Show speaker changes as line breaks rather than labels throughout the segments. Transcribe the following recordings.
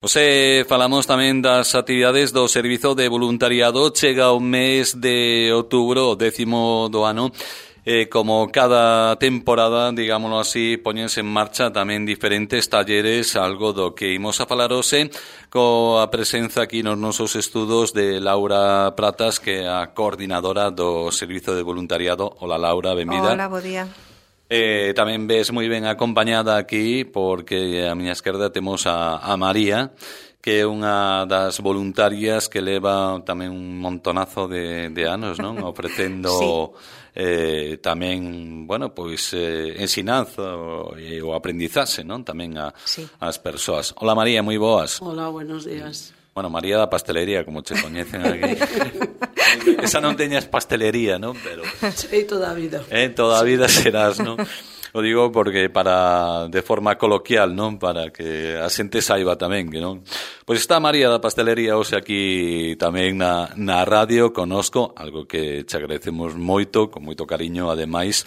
Falamos tamén das actividades do Servizo de Voluntariado. Chega o mes de outubro, o 10º do ano. Como cada temporada, digámoslo así, poñense en marcha tamén diferentes talleres, algo do que imos a falar hoxe coa presenza aquí nos nosos estudos de Laura Pratas, que é a coordinadora do Servizo de Voluntariado. Hola, Laura, benvida.
Hola, bo día.
Tamén ves moi ben acompañada aquí, porque a miña esquerda temos a María, que é unha das voluntarias que leva tamén un montonazo de anos, non? Ofrecendo tamén, bueno, pois ensinanza o aprendizaxe, non? Tamén ás persoas. Hola, María, moi boas.
Hola, buenos días.
Bueno, María da pastelería, como che coñecen aquí. Esa non teñas pastelería, non? Pero
sí, toda a vida.
Toda a vida serás, non? O digo porque de forma coloquial, non? Para que a xente saiba tamén, que non? Pois está María da pastelería hoxe aquí tamén na radio conosco, algo que che agradecemos moito, con moito cariño, ademais,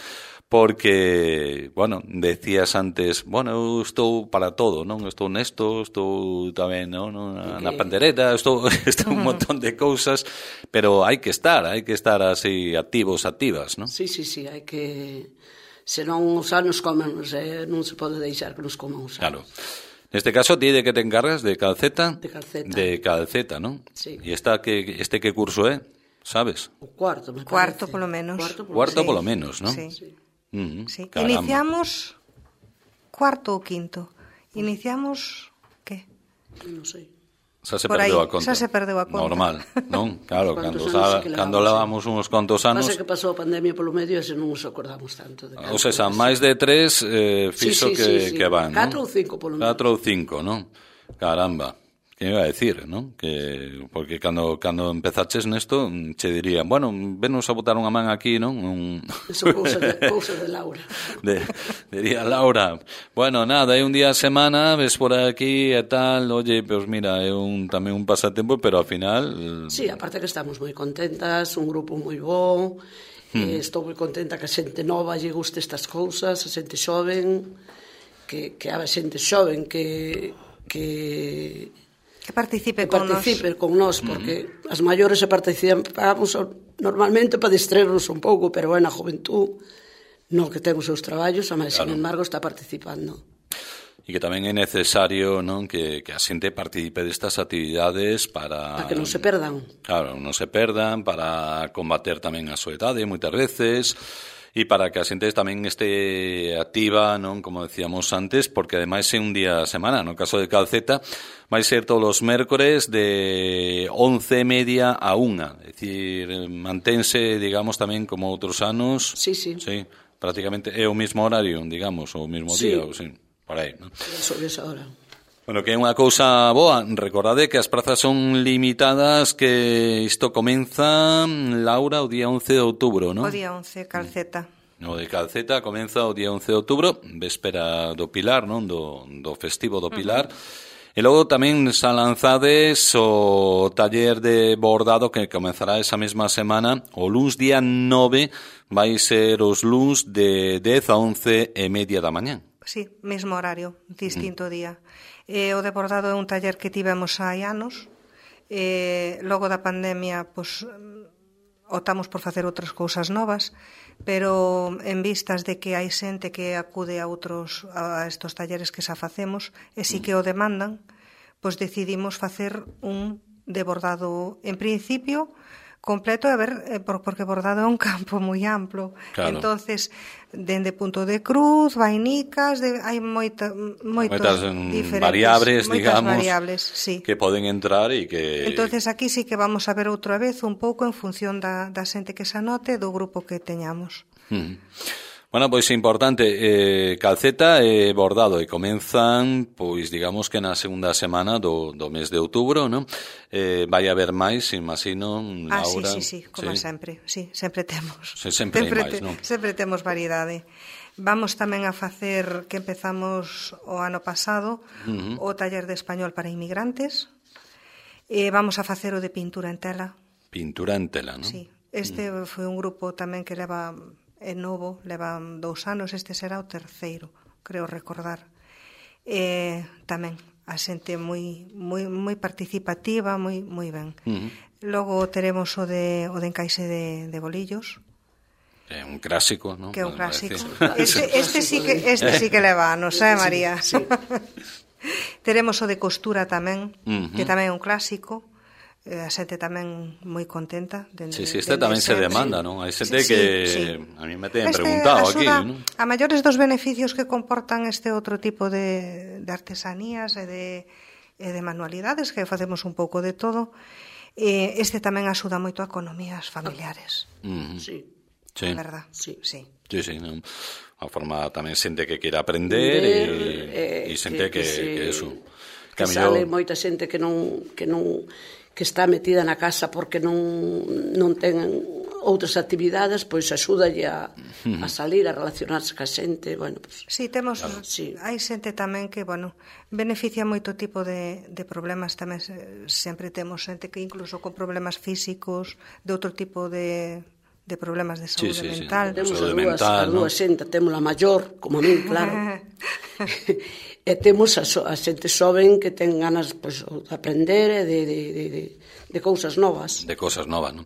porque, bueno, decías antes, bueno, eu estou para todo, non? Estou nesto, estou tamén, non? Na pandereta, estou un montón de cousas, pero hai que estar así activas, non?
Sí, hai que... Senón os anos comenos, non se pode deixar que nos coman os anos.
Claro. Neste caso, ti de que te encargas? De calceta?
De calceta.
De calceta, non?
Sí.
E este que curso é? Sabes?
O cuarto, me parece.
Cuarto, polo menos.
Cuarto, polo menos, non?
Sí. Sí.
Caramba.
Iniciamos cuarto ou quinto. Iniciamos, que?
Non sei.
Xa se perdeu a conta.
Xa se perdeu a conta.
Normal, non? Claro, cando levamos uns contos anos...
Pasa que pasou a pandemia polo medio e se non nos acordamos tanto.
Ou seja, máis de 3 fixo que van, non?
4 ou 5 polo menos.
4 ou 5, non? Caramba. Que iba a decir, non? Porque cando empezaches nesto, che dirían, bueno, venos a botar unha man aquí, non?
Eso cousa de Laura.
Diría Laura, bueno, nada, é un día a semana, ves por aquí e tal, oye, pues mira, é tamén un pasatempo, pero ao final...
Sí, aparte que estamos moi contentas, un grupo moi bo, estou moi contenta que a xente nova lle guste estas cousas, a xente xoven, que a xente xoven que
participe con
nós, porque as maiores se participamos normalmente para distraernos un pouco, pero é na juventud no que ten os seus traballos, mas sin embargo está participando.
E que tamén é necesario, non, que a xente participe destas actividades para
que non se perdan.
Claro, non se perdan, para combater tamén a soedade moitas veces, e para que a xente tamén este activa, non, como decíamos antes, porque ademais é un día a semana. No caso de calceta vai ser todos os mércores de 11:30 a 1. É dicir, mantense, digamos, tamén como outros anos.
Sí.
Sí, prácticamente é o mismo horario, digamos, o mismo día, ou sí, por aí, non?
Sobre esa hora.
Bueno, que é unha cousa boa. Recordade que as prazas son limitadas, que isto comeza, Laura, o día 11 de outubro, non?
O día 11, calceta.
O de calceta comeza o día 11 de outubro, véspera do Pilar, non? Do festivo do Pilar. E logo tamén xa lanzades o taller de bordado que comenzará esa mesma semana. O luns día 9 vai ser os luns de 10 a 11:30 da mañán.
Sí, mesmo horario, distinto día. O de bordado é un taller que tivemos hai anos. Logo da pandemia, pois, optamos por facer outras cousas novas, pero en vistas de que hai xente que acude a estos talleres que xa facemos, e si que o demandan, pois decidimos facer un de bordado, en principio, completo, porque bordado é un campo moi amplo.
Claro.
Entonces, dende punto de cruz, vainicas, hai moitas diferentes
variables, digamos,
variables, sí,
que poden entrar e que...
Entonces, aquí sí que vamos a ver outra vez un pouco en función da xente que se anote, do grupo que teñamos.
Bueno, pois é importante, calceta e bordado, e comenzan, pois digamos que na segunda semana do mes de outubro, non? Vai haber máis, imagino, Laura.
Sí, como sempre, sí, sempre temos.
Sempre hai máis, non?
Sempre temos variedade. Vamos tamén a facer, que empezamos o ano pasado, o taller de español para inmigrantes. Vamos a facer o de pintura en tela.
Pintura en tela, non?
Sí, este foi un grupo tamén que leva... é novo, levan 2 anos, este será o terceiro, creo recordar. Tamén a xente moi participativa, moi ben. Logo teremos o de encaixe de bolillos.
É un clásico, non?
Que é un clásico. Este sí que leva anos, María?
Sí.
Teremos o de costura tamén, que tamén é un clásico. A xente tamén moi contenta.
Este tamén se demanda, non? Hai xente que a mí me ten preguntado aquí, non?
A maiores dos beneficios que comportan este outro tipo de artesanías e de manualidades, que facemos un pouco de todo, este tamén axuda moito a economías familiares.
Sí.
A verdad,
sí.
Sí,
non? A forma tamén xente que quere aprender e xente que eso.
Que sale moita xente que está metida na casa porque non ten outras actividades, pois axúdalle a salir, a relacionarse ca xente, bueno, pues,
sí, temos, hai xente tamén que, bueno, beneficia moito tipo de problemas tamén, sempre temos xente que incluso con problemas físicos, de outro tipo de problemas de saúde mental.
Temos as dúas xente, temos a maior, como a min, claro. E temos a xente xoven que ten ganas pues, de aprender e de cousas novas.
De cousas novas, non?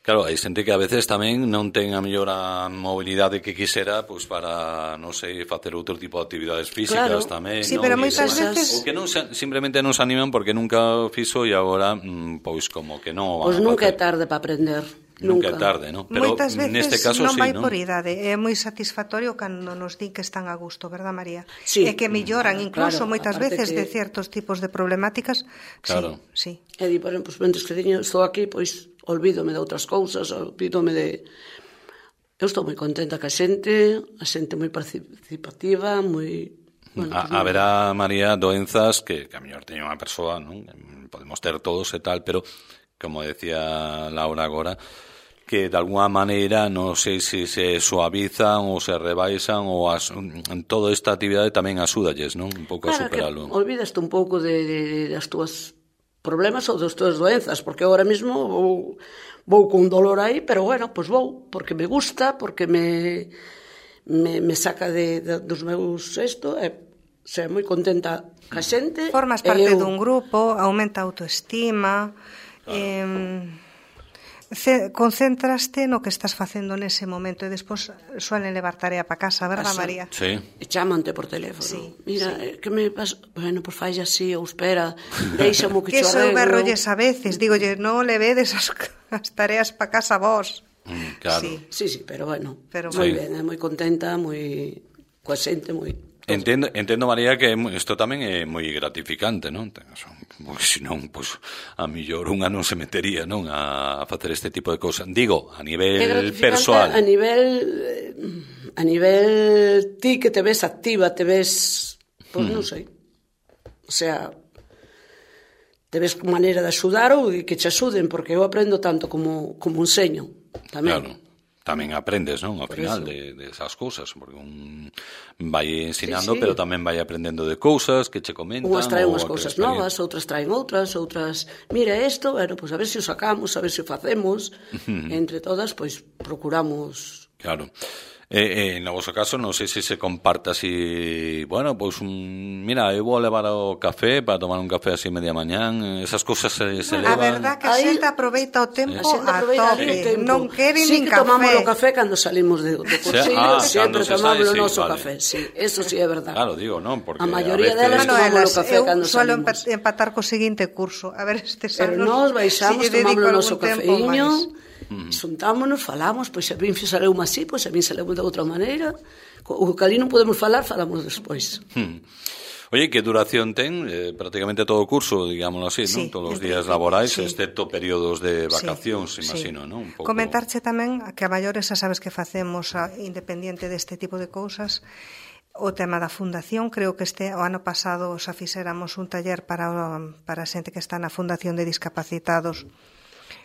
Claro, hai xente que a veces tamén non ten a mellor a mobilidade que quixera pois para, non sei, facer outro tipo de actividades físicas tamén,
sí, pero moitas veces
ou que non simplemente non se animan porque nunca fixo e agora pois como que non
pois nunca é tarde para aprender.
Nunca é tarde, non? Pero
moitas veces
neste caso
non vai
non?
por idade, é moi satisfactorio cando nos din que están a gusto, verdad, María?
Sí.
E que melloran incluso moitas veces
que...
de certos tipos de problemáticas.
Claro.
Sí.
E di, por exemplo, mentres que estou aquí, pois olvídome de outras cousas, olvídome de... Eu estou moi contenta que a xente moi participativa, moi...
Bueno, haberá, María, doenzas que a mellor teña unha persoa, non? Podemos ter todos e tal, pero como decía Laura agora, que de alguna maneira non sei se suavizan ou se rebaixan ou toda esta actividade tamén axúdalles, non? Un pouco a superalo.
Olvidaste un pouco das túas problemas ou das túas doenzas, porque agora mesmo vou con dolor aí, pero bueno, pois vou, porque me gusta, porque me saca dos meus sei moi contenta ca xente.
Formas parte dun grupo, aumenta a autoestima, concéntraste no que estás facendo nese momento e despois suelen levar tarea para casa, verdad, María?
Sí.
E chamante por teléfono. Mira, que me pasa? Bueno, pois fai así, ou espera, deixame que
cho
arreglo. Que
berrolles a veces, digolle, non le vedes as tareas para casa vos.
Claro.
Sí, pero bueno, moi ben, moi contenta, moi coa xente, moi...
Entendo, María, que isto tamén é moi gratificante, non? Porque senón, pois, a mellor unha non se metería, non, a facer este tipo de cousas. Digo, a nivel persoal.
A nivel ti que te ves activa, te ves, pois non sei. O sea, te ves con maneira de axudar ou que che axuden, porque eu aprendo tanto como enseño tamén.
Claro. Tamén aprendes, non? Ao final de esas cousas, porque un vai ensinando, pero tamén vai aprendendo de cousas que che comentan.
Unhas traen unhas cousas novas, outras traen outras, mira isto, bueno, pois a ver se o sacamos, a ver se o facemos, entre todas, pois procuramos...
Claro. No vosso caso, non sei se se comparte así, bueno, pois mira, eu vou levar o café para tomar un café así media mañán, esas cousas se levan.
A verdad que a xente aproveita o tempo a tope, non quere nin café.
Sí que tomamos o café cando salimos do cursillo, sempre tomamos o noso café, sí, eso sí é verdad.
Claro, digo, non, porque
a maioría delas tomamos o café cando salimos.
Eu suelo empatar co seguinte curso, a ver estes anos.
Pero nós baixamos, tomamos o noso cafeíño, xuntámonos, falamos, pois a min saleume así, pois a min saleume de outra maneira, o que ali non podemos falar, falamos despois.
Oye, que duración ten? Prácticamente todo o curso, digámoslo así, non? Todos os días laborais, excepto períodos de vacacións, imagino, non? Un pouco...
Comentarche tamén que a maiores xa sabes que facemos independiente deste tipo de cousas. O tema da fundación, creo que o ano pasado xa fixéramos un taller para a xente que está na Fundación de Discapacitados.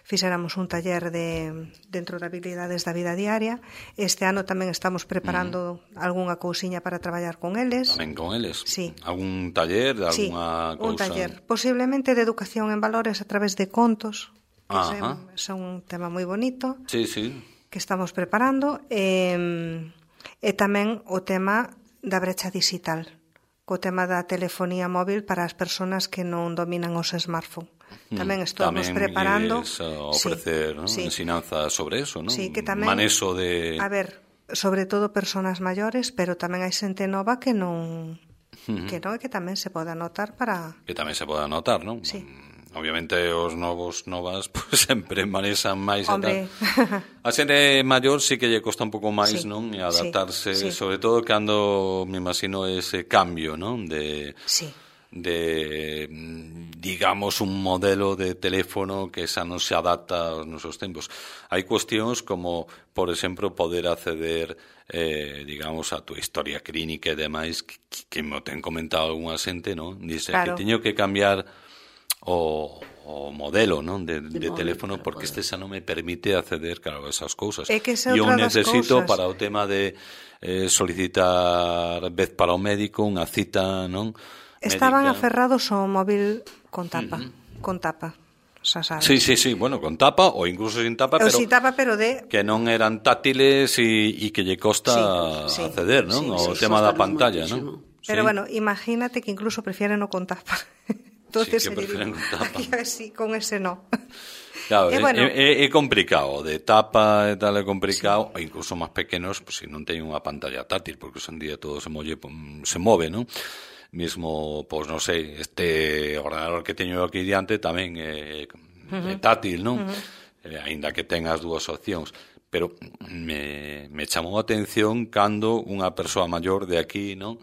Fixéramos un taller dentro de habilidades da vida diaria. Este ano tamén estamos preparando algunha cousiña para traballar con eles.
Tamén con eles?
Sí.
Algún taller de alguna cousa?
Un taller. Posiblemente de educación en valores a través de contos. Son un tema moi bonito.
Sí.
Que estamos preparando. E tamén o tema da brecha digital. co tema da telefonía móvil para as persoas que non dominan os smartphones. Tamén estamos preparando...
Tamén ofrecer ensinanza sobre eso, non?
Sí, que tamén...
Maneso de...
A ver, sobre todo persoas maiores, pero tamén hai xente nova que non... que non, que tamén se pode anotar para...
Que tamén se pode anotar, non?
Sí.
Obviamente os novas pues, sempre manexan máis e tal. A xente maior sí que lle costa un pouco máis, non? E adaptarse, sobre todo cando me imagino ese cambio, non? De digamos un modelo de teléfono que xa non se adapta aos nosos tempos. Hai cuestións como, por exemplo, poder acceder digamos a tu historia clínica e demais que me ten comentado algunha xente, non? Dice que teño que cambiar o modelo, non? De teléfono porque este xa non me permite acceder, claro, a esas cousas.
E
eu necesito para o tema de solicitar vez para o médico unha cita, non?
Estaban aferrados ao móvil con tapa, con tapa. Xa sabes.
Sí, bueno, con tapa ou incluso sin tapa, pero
sin tapa, pero que
non eran táctiles e que lle costa acceder, non? O tema da pantalla, non?
Pero bueno, imagínate que incluso prefieren o con tapa.
Entonces, sí, que prefieren con tapa.
Sí, con ese no.
Claro, é complicado, de tapa e tal é complicado, e incluso máis pequenos, pues, se non teñen unha pantalla táctil, porque hoxe en día todo se move, non? Mismo, pois non sei, este ordenador que teño aquí diante tamén é táctil, non? Aínda que ten as dúas opcións. Pero me chamou a atención cando unha persoa maior de aquí, non?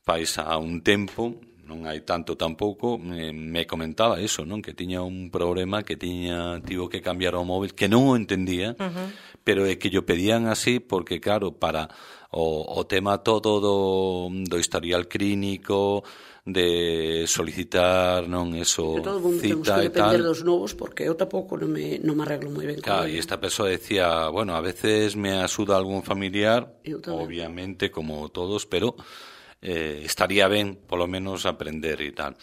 Fais a un tempo, non hai tanto tampouco, me comentaba eso, non? Que tiña un problema, que tivo que cambiar o móvil, que non o entendía, pero é que yo pedían así porque, claro, para o tema todo do historial clínico, de solicitar, non, eso, cita e tal. Temos que
depender dos novos porque eu tampouco non me arreglo moi ben.
Claro, e esta persoa decía, bueno, a veces me axuda algún familiar, obviamente, como todos, pero estaría ben, polo menos, aprender e tal.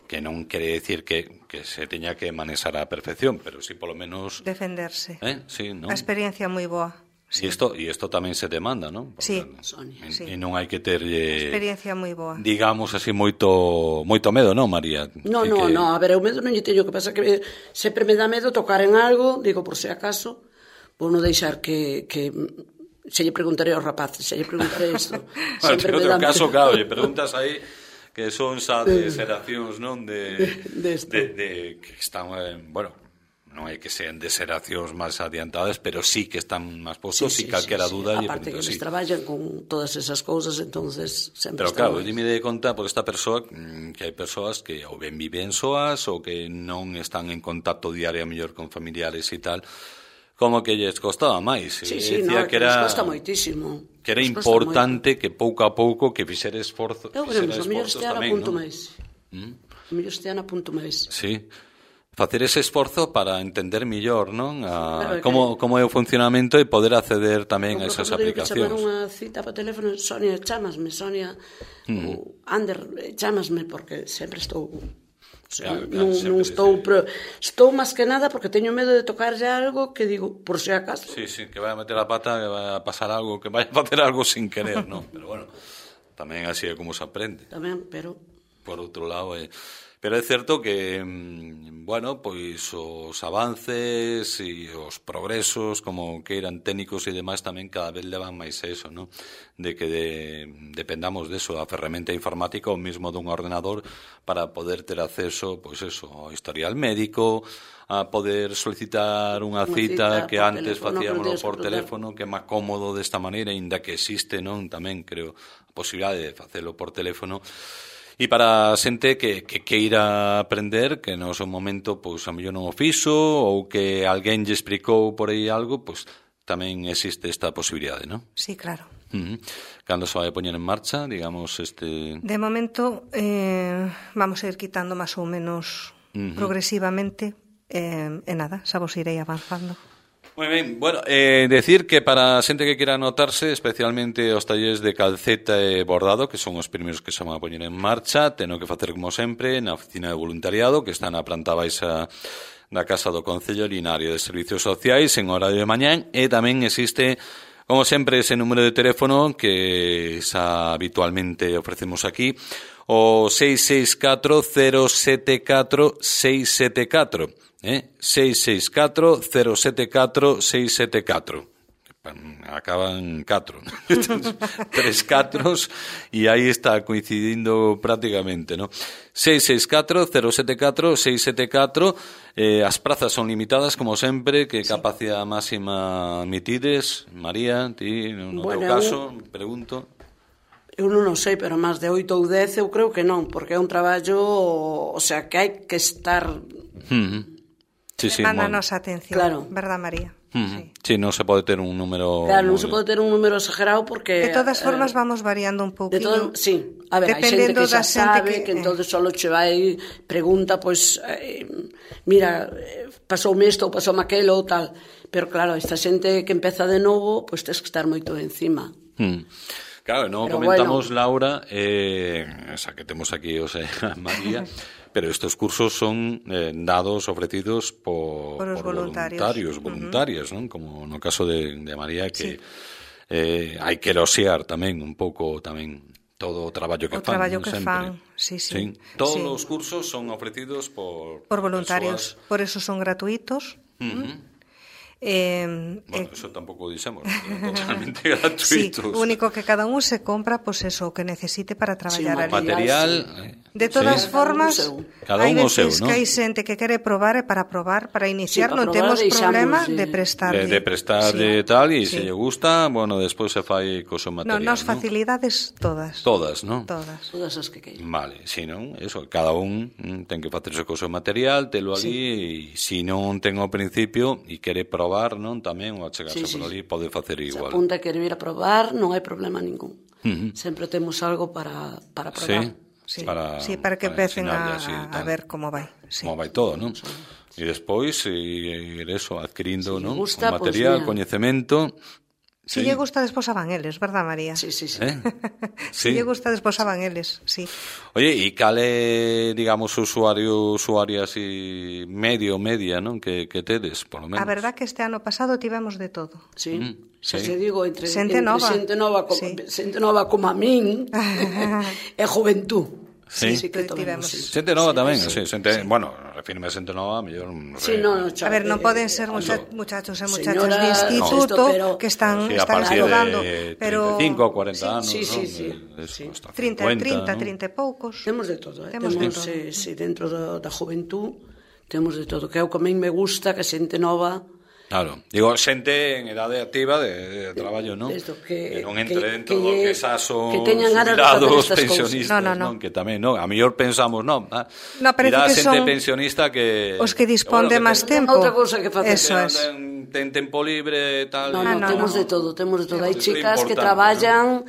Que non quere decir que se teña que manexar á perfección, pero sí, polo menos...
Defenderse.
Sí, non?
A experiencia moi boa.
Sí. E isto tamén se demanda, non?
Sí.
E non hai que terlle...
Experiencia moi boa.
Digamos así moito medo, non, María?
No, a ver, o medo non lle teño, que pasa que sempre me dá medo tocar en algo, digo, por se acaso, vou non deixar que se lle preguntaré aos rapaces, se lle preguntaré isto.
Sempre me dá medo. Caso, claro, lle preguntas aí que son xa de xeracións, non? De que están, bueno... non hai que sean de xeracións máis adiantadas, pero sí que están máis postos e calquera duda lle
aparte que eles traballan con todas esas cousas, entonces sempre
pero claro, dime de conta por esta persoa que hai persoas que ou ben viven soas ou que non están en contacto diario mellor con familiares e tal, como que lles costaba máis.
Sí, no, que lles costa moitísimo.
Que era importante que pouco a pouco que fixera esforzo.
Eu veremos, o mellor este ano apunto máis. O mellor este ano apunto máis.
Sí. Facer ese esforzo para entender mellor, non? Como é o funcionamento e poder acceder tamén a esas aplicacións.
Chamar unha cita para teléfono, Sonia, chámasme, Sonia, ou Ander, chámasme, porque sempre estou... non estou... Estou máis que nada porque teño medo de tocarlle algo que digo, por se acaso.
Sí, que vai a meter a pata, que vai a pasar algo, que vai a facer algo sin querer, non? Pero bueno, tamén así é como se aprende.
Tamén, pero...
Por outro lado, pero é certo que, bueno, pois os avances e os progresos, como que eran técnicos e demais, tamén cada vez levan máis a eso, non? De que dependamos deso, da ferramenta informática ou mesmo dun ordenador para poder ter acceso, pois eso, ao historial médico, a poder solicitar unha cita que antes facíamoslo por teléfono, que é máis cómodo desta maneira, ainda que existe, non? Tamén, creo, a posibilidade de facelo por teléfono. E para a xente que queira aprender, que no seu momento, pois, a mellor non o fixo, ou que alguén lle explicou por aí algo, pois, tamén existe esta posibilidade, non?
Sí, claro.
Cando se vai a poñer en marcha, digamos, este...
De momento, vamos a ir quitando máis ou menos progresivamente, e nada, xa vos irei avanzando.
Moi ben, bueno, decir que para a xente que quera anotarse, especialmente os talleres de calceta e bordado, que son os primeiros que se van a poñer en marcha, teno que facer como sempre na oficina de voluntariado, que está na planta baixa da Casa do Concello, Linario de Servicios Sociais, en horario de mañán, e tamén existe Como sempre, ese número de teléfono que xa habitualmente ofrecemos aquí, o 664-074-674, 664-074-674. Acaban 4, 3 catros, e aí está coincidindo prácticamente, ¿no? 664-074-674. As prazas son limitadas, como sempre. Que capacidade máxima admitides, María? Ti, no teu caso, pregunto.
Eu non o sei, pero máis de 8 ou 10 eu creo que non, porque é un traballo, o sea, que hai que estar...
Sí,
Demanda a nosa atención,
claro.
Verdad, María?
Sí, non se pode ter un número...
Claro, non se pode ter un número exagerado porque...
De todas formas vamos variando un pouquinho.
Sí, a ver, hai xente que xa sabe que entonces solo che vai, pregunta, pois, mira, pasoume isto ou pasoume aquelo ou tal. Pero claro, esta xente que empeza de novo, pois tens que estar moito encima.
Claro, non comentamos, bueno, Laura, esa que temos aquí, o sea, María, pero estos cursos son dados, ofrecidos por voluntarios, voluntarias, ¿no? Como no caso de María, que hai que eloxiar tamén un pouco tamén todo o traballo que fan. O traballo que fan,
sí.
Todos os cursos son ofrecidos por
voluntarios, por eso son gratuitos.
Bueno, eso tampouco dixemos, totalmente gratuitos.
Sí, o único que cada un se compra, pois eso, o que necesite para traballar ali.
Material.
De todas formas,
hai veces
que hai xente que quere probar e para probar, para iniciar, non temos problema de prestarlle.
De prestarlle tal, e se lle gusta, bueno, despois se fai co seu material.
Non, nas facilidades todas.
Todas, non?
Todas as que queiran.
Vale, si non, eso, cada un ten que facerse co seu material, telo ali, e se non ten ao principio e quere probar, non, tamén, ou achegarse por ali, pode facer igual.
Se apunta e quere vir a probar, non hai problema ningún. Sempre temos algo para probar.
Sí, para que empecen a ver como vai.
Como vai todo, non? E despois, ir eso, adquirindo, non? O material, coñecemento...
Si lle gusta, despois van eles, verdad, María?
Sí.
Si
lle gusta, despois van eles, sí.
Oye, e cale, digamos, usuario así media, non? Que tedes, por lo menos.
A verdad que este ano pasado tivemos de todo.
Sí. Xa se digo, entre xente
nova
como a min e juventud.
Sí,
que tivemos.
Xente nova tamén, bueno, refirme a xente nova, mellor...
A ver, non poden ser muchachos e muchachas de instituto que están estudando, pero
35 ou 40 anos,
non?
30 e poucos.
Temos de todo, dentro da juventud temos de todo, que é o que a min me gusta, que a xente nova...
Claro, digo, xente en edade activa de traballo, non? Que non entre dentro do que xa son jubilados, pensionistas, non? Que tamén, non? A mellor pensamos, non? Mira a xente pensionista que...
Os que dispón de máis tempo.
Outra cousa que facer.
Eso es.
Ten tempo libre e tal.
Non, temos de todo. Hai chicas que traballan...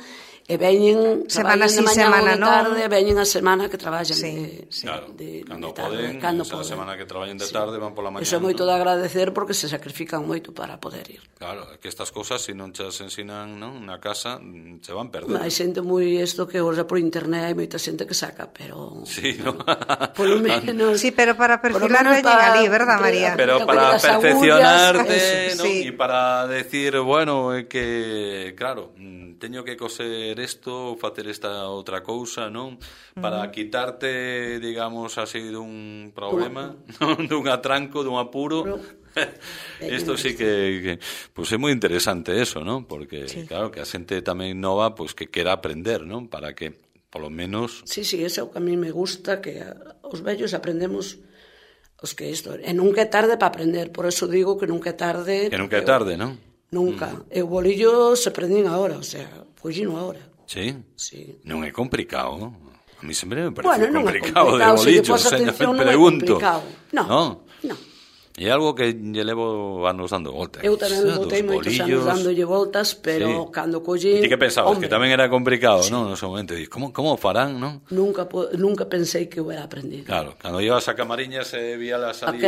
E veñen
semana sí, semana non,
tarde, veñen a semana que traballan
claro, cando poden, a semana que traballan de tarde van pola mañana.
Iso é moito de agradecer porque se sacrifican moito para poder ir.
Claro, que estas cousas se non chas ensinan, non, na casa, se van perder.
Hai xente moi isto que ora por internet hai moita xente que saca, pero
sí, ¿no?
Polo menos. Sí, pero para perfilar veñen ali, verdad, María?
Pero para perfeccionarte, ¿no? E para decir, bueno, que claro, teño que coser isto, facer esta outra cousa, non? Para quitarte, digamos, así dun problema, dun atranco, dun apuro. Isto sí que pues é moi interesante eso, non? Porque, claro, que a xente tamén nova, pues que quera aprender, non? Para que, polo menos...
Sí, eso que a mí me gusta, que os vellos aprendemos... os que isto, e nunca é tarde para aprender, por eso digo que nunca é tarde...
Que nunca é tarde, non?
Nunca. E o bolillo se prendín agora, o sea, pollino agora.
Sí? Non é complicado. A mí sempre me
complicado
parece complicado de bolillo, pregunto.
Non.
É algo que lle levo anos dando voltas.
Eu tamén botei moitos anos dándolle voltas, pero cando collín...
E ti que pensabas? Que tamén era complicado, non? No seu momento, como farán, non?
Nunca pensei que hubiera aprendido.
Claro, cando ibas a Camariñas e víalas ali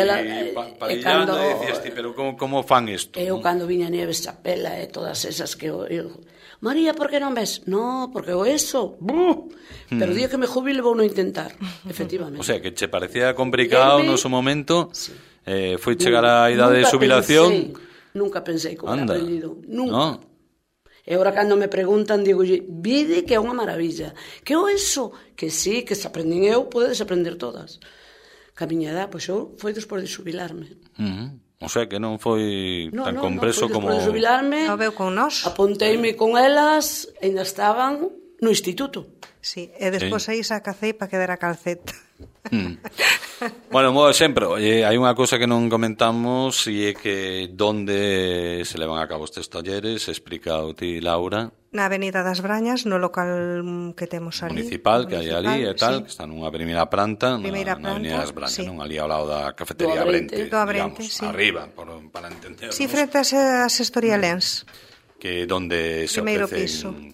parillando, e dicías ti, pero como fan isto?
Eu cando viña Nieves Chapela e todas esas que eu... María, por que non ves? No, porque o eso... Pero o día que me jubile vou non intentar, efectivamente.
O sea, que che parecía complicado no seu momento... Foi chegar a idade de xubilación.
Nunca pensei que hubiera aprendido. Nunca. E agora cando me preguntan, digo, vide que é unha maravilla. Que o eso? Que sí, que se aprenden eu, podedes aprender todas. Que a miña edad, pois eu foi despois de xubilarme.
O sea, que non foi tan compreso como...
Non, foi despois de xubilarme.
No veu con nós.
Apunteime con elas, ainda estaban no instituto.
Sí, e despois aí sacacei para quedar a calceta.
Bueno, mo exemplo, hai unha cousa que non comentamos e é que donde se levan a cabo estes talleres, explica o ti, Laura.
Na Avenida das Brañas, no local que temos ali.
Municipal, que hai ali e tal,
sí.
que está nunha primeira planta, na Avenida das Brañas,
sí.
non ali ao lado da cafetería
Do Abrente,
digamos,
sí.
arriba, para entendernos.
Sí, frente a Sestorialéns.
Que donde se
Primeiro
ofrecen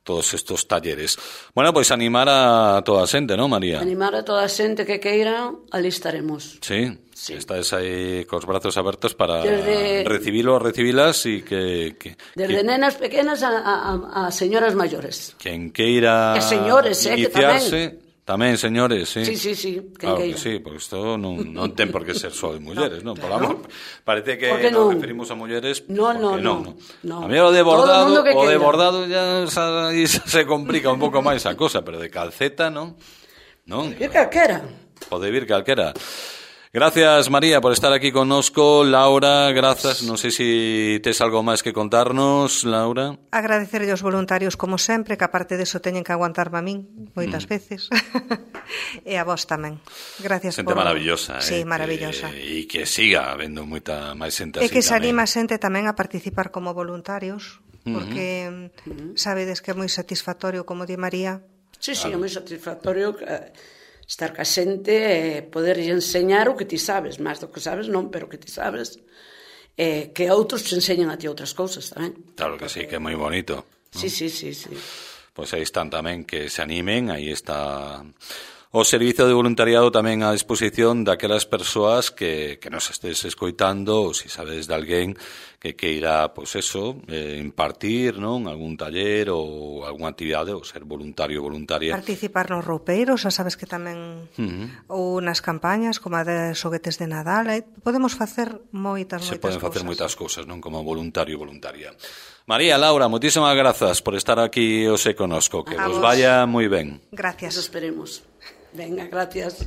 todos estos talleres. Bueno, pois animar a toda a xente, non, María?
Animar a toda a xente que queira, ali estaremos.
Sí, estáis aí cos brazos abertos para recibilas e
Desde nenas pequenas a señoras maiores.
Quen queira
E señores,
iniciarse, tamén señores, sí.
Sí, quen
claro
queira.
que sí, porque isto non ten por que ser só de mulleres, non? Parece que
non?
nos referimos a mulleres,
No.
A mí o de bordado ya se complica un pouco máis a cosa, pero de calceta, non?
E calquera.
Pode vir calquera. Gracias, María, por estar aquí connosco. Laura, grazas. Non sei se tes algo máis que contarnos, Laura.
Agradecerlle aos voluntarios, como sempre, que aparte deso teñen que aguantarme a min moitas veces. E a vos tamén. Gracias
Xente maravillosa.
Sí, maravillosa.
E que siga habendo moita máis xente así.
E que se
tamén.
anima a xente tamén a participar como voluntarios, porque sabedes que é moi satisfactorio, como di María.
Sí, é moi satisfactorio estar ca xente e poder enseñar o que ti sabes, máis do que sabes non, pero que ti sabes, que outros te enseñan a ti outras cousas tamén.
Claro que sí, que é moi bonito, ¿no?
Sí.
Pois aí están tamén, que se animen, aí está o servizo de voluntariado tamén á disposición daquelas persoas que nos estés escoitando, ou se sabedes de alguén que queira, pois eso, impartir, non, algún taller ou algunha actividade, ou ser voluntario ou voluntaria.
Participar nos roupeiros, xa sabes que tamén, ou nas campañas, como a de xoguetes de Nadal, podemos facer moitas cousas.
Se poden facer moitas cousas, non, como voluntario ou voluntaria. María, Laura, moitísimas grazas por estar aquí hoxe conosco, que vos vaya moi ben.
Gracias.
Nos esperemos. Venga, gracias.